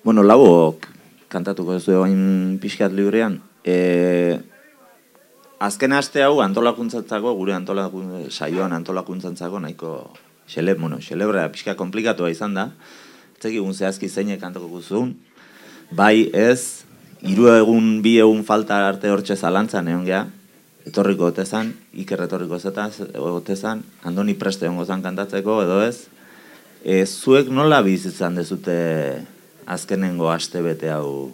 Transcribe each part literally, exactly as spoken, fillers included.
Bueno, labok kantatuko ez du hain pixkat librean. E, azken aste hau antolakuntzantzako, gure antolakun, saioan antolakuntzantzako nahiko xele, bueno, xelebra pixka komplikatua izan da. Etzekigun zehazki zeinek kantatuko zuen. Bai ez, hiru egun, bi egun falta arte hortxe zalantzan egon geha. Etorriko otezan, Iker etorriko otezan, Andoni preste ongo zan kantatzeko, edo ez. E, zuek nola bizitzan dezute azkenengo aste bete hau?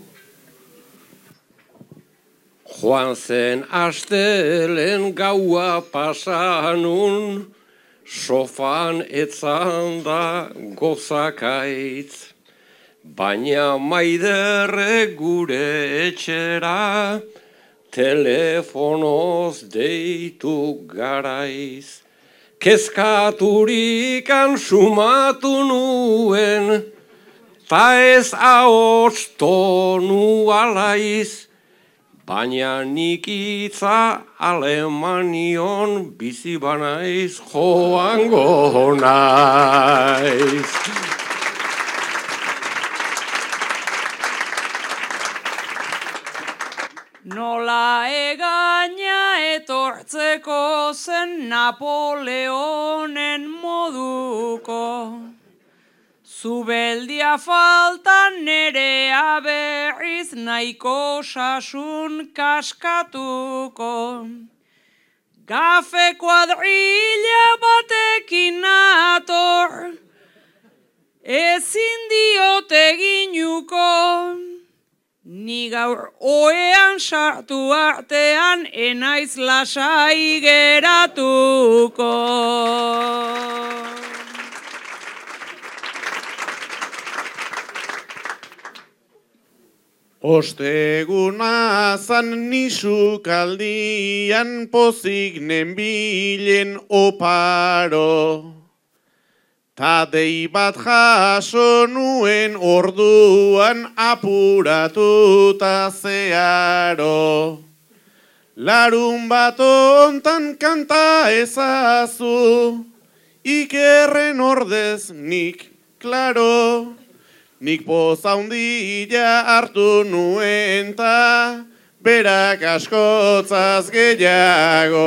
Joan zen astelen gaua pasanun, sofan etzan da gozakaitz. Baina maiderre gure etxera, telefonoz deitu garaiz. Kezkaturikan sumatu nuen, ta ez ahots tonu alaiz. Baina nik itza Alemanion bizi banaiz joango naiz. Nola egaina etortzeko zen Napoleonen moduko, zubeldia falta nerea berriz nahiko sasun kaskatuko. Gafe kuadrilla batekin nator, ezin diote ginuko. Ni gaur oean sartu artean enaiz lasai geratuko. Osteguna zan nisukaldian pozik nenbilen oparo. Ta dei bat jaso nuen orduan apuratuta zeharo. Larun bat ontan kanta ezazu, Ikerren ordez nik, klaro. Nik poza hundila hartu nuen ta berak askotzaz gehiago.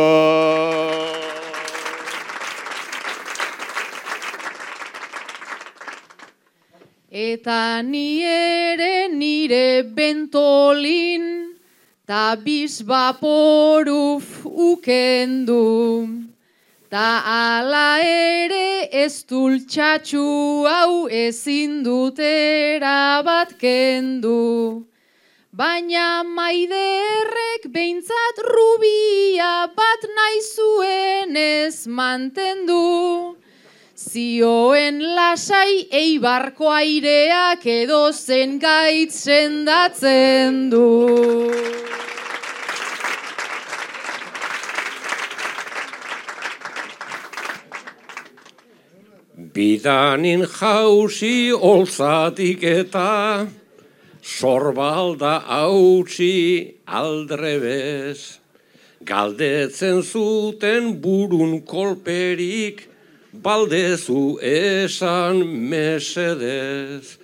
Eta ni ere nire bentolin, ta bizbaporuf ukendu. Ta ala ere ez dultxatxu hau ezin dutera bat kendu. Baina maiderrek behintzat rubia bat nahi zuen ez mantendu. Zioen lasai eibarko aireak edo zen gaitz sendatzen du. Bidanin jauzi olzatik eta sorbalda hautsi aldrebez. Galdetzen zuten burun kolperik, baldezu esan mesedez.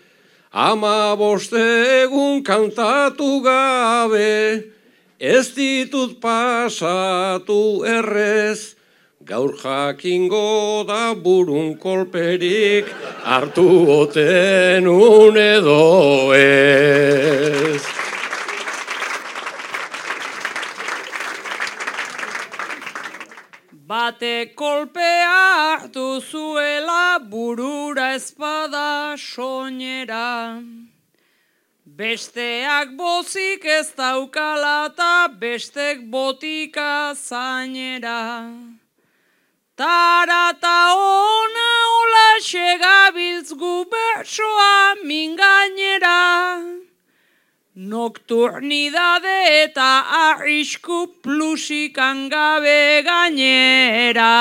Ama bostegun kantatu gabe, ez ditut pasatu errez. Gaur jakingo da burun kolperik, hartu oten un edo ez. Bate kolpea hartu zuela burura espada soinera. Besteak bozik ez daukala ta bestek botika zainera. Tarata ona hola segabiltz gu bertsoa mingainera. Nokturnidade eta arrisku plusikan gabe gainera.